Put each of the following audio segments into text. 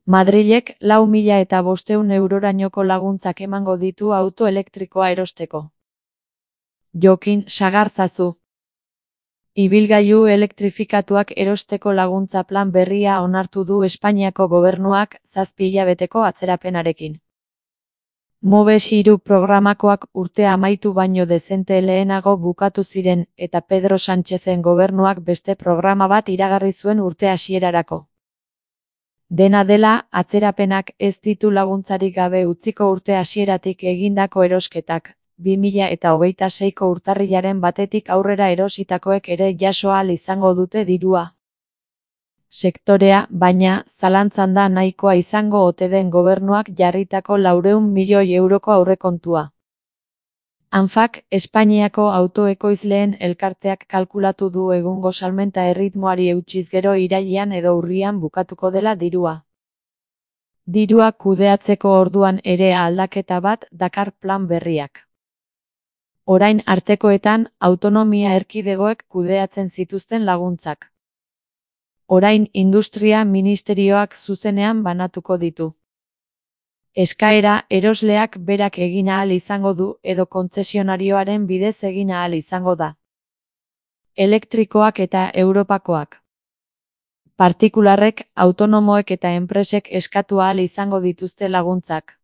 Madrilek 4.500 eurorainoko laguntzak emango ditu auto elektrikoa erosteko. Jokin sagartzazu. Ibilgailu elektrifikatuak erosteko laguntza plan berria onartu du Espainiako gobernuak 7 hilabeteko atzerapenarekin. Moves 3 programakoak urtea amaitu baino dezente lehenago bukatu ziren eta Pedro Sánchezen gobernuak beste programa bat iragarri zuen urte hasierarako. Dena dela, atzerapenak ez ditu laguntzarik gabe utziko urte hasieratik egindako erosketak, 2026ko urtarrilaren batetik aurrera erositakoek ere jaso ahal izango dute dirua. Sektorea, baina, zalantzan da nahikoa izango ote den gobernuak jarritako 400 milioi euroko aurrekontua. ANFAk, Espainiako autoekoizleen elkarteak kalkulatu du egungo salmenta erritmoari eutsiz gero irailean edo urrian bukatuko dela dirua. Dirua kudeatzeko orduan ere aldaketa bat dakar plan berriak. Orain artekoetan, autonomia erkidegoek kudeatzen zituzten laguntzak. Orain industria ministerioak zuzenean banatuko ditu. Eskaera erosleak berak egin ahal izango du edo kontzesionarioaren bidez egin ahal izango da. Elektrikoak eta Europakoak. Partikularrek, autonomoek eta enpresek eskatu ahal izango dituzte laguntzak.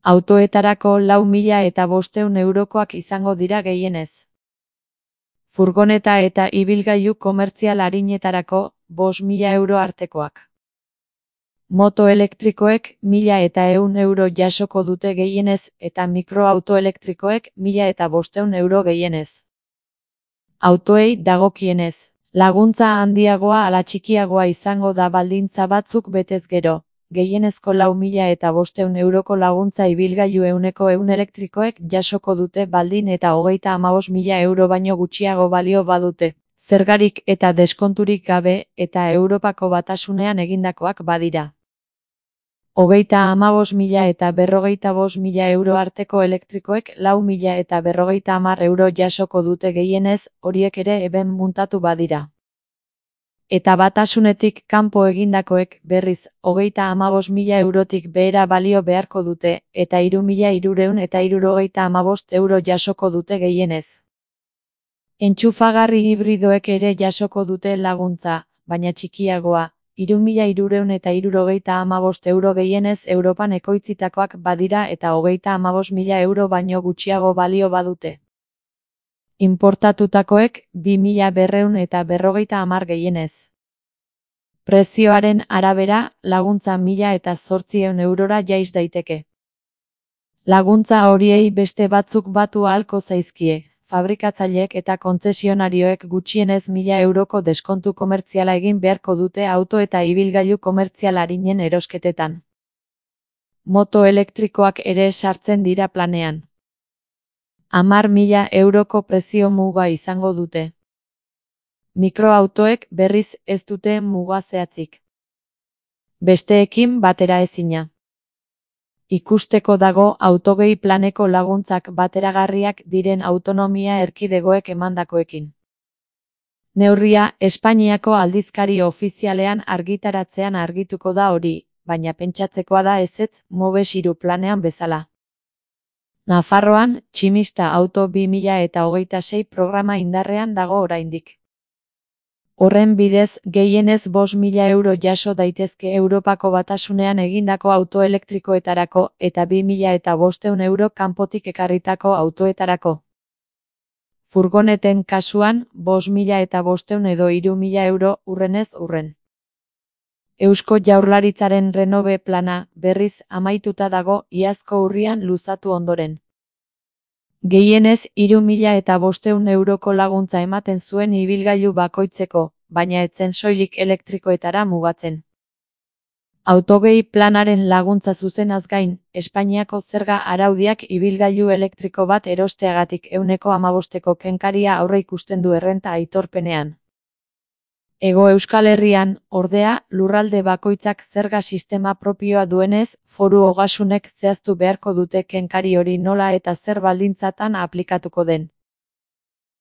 Autoetarako 4.500 eurokoak izango dira gehienez. Furgoneta eta ibilgailu komertzial arinetarako 5.000 euro artekoak. Moto elektrikoek 1.100 euro jasoko dute gehienez eta mikroauto elektrikoek 1.500 euro gehienez. Autoei dagokienez, laguntza handiagoa ala txikiagoa izango da baldintza batzuk betez gero, gehienezko 4.500 euroko laguntza ibilgailu 100% elektrikoek jasoko dute baldin eta 35.000 euro baino gutxiago balio badute, zergarik eta deskonturik gabe eta Europako Batasunean egindakoak badira. 35.000 eta 45.000 euro arteko elektrikoek 4.000 eta 50 euro jasoko dute gehienez, horiek ere eben muntatu badira. Eta Batasunetik kanpo egindakoek berriz 35.000 eurotik behera balio beharko dute eta 3.375 euro jasoko dute gehienez. Entxufagarri hibridoek ere jasoko dute laguntza, baina txikiagoa, 3.375 euro gehienez Europan ekoitzitakoak badira eta 35.000 euro baino gutxiago balio badute. Importatutakoek 2.250 gehienez. Prezioaren arabera, laguntza 1.800 eurora jaiz daiteke. Laguntza horiei beste batzuk batu ahalko zaizkie. Fabrikatzaileek eta kontzesionarioek gutxienez 1.000 euroko deskontu komertziala egin beharko dute auto eta ibilgailu komertzial arinen erosketetan. Moto elektrikoak ere sartzen dira planean. 10.000 euroko prezio muga izango dute. Mikroautoek berriz ez dute muga zehatzik. Besteekin batera ezina. Ikusteko dago autogei planeko laguntzak bateragarriak diren autonomia erkidegoek emandakoekin. Neurria Espainiako aldizkari ofizialean argitaratzean argituko da hori, baina pentsatzekoa da ezetz Moves 3 planean bezala. Nafarroan, Tximista Auto 2026 programa indarrean dago oraindik. Horren bidez, gehienez 5.000 euro jaso daitezke Europako Batasunean egindako auto elektrikoetarako eta 2.500 euro kanpotik ekarritako autoetarako. Furgoneten kasuan, 5.500 edo 3.000 euro urrenez urren. Eusko Jaurlaritzaren Renove plana, berriz, amaituta dago iazko urrian luzatu ondoren. Gehienez 3.500 euroko laguntza ematen zuen ibilgailu bakoitzeko, baina etzen soilik elektrikoetara mugatzen. Autogei planaren laguntza zuzenaz gain, Espainiako zerga araudiak ibilgailu elektriko bat erosteagatik 15%ko kenkaria aurreikusten du errenta aitorpenean. Hego Euskal Herrian, ordea, lurralde bakoitzak zerga sistema propioa duenez, foru ogasunek zehaztu beharko dute kenkari hori nola eta zer baldintzatan aplikatuko den.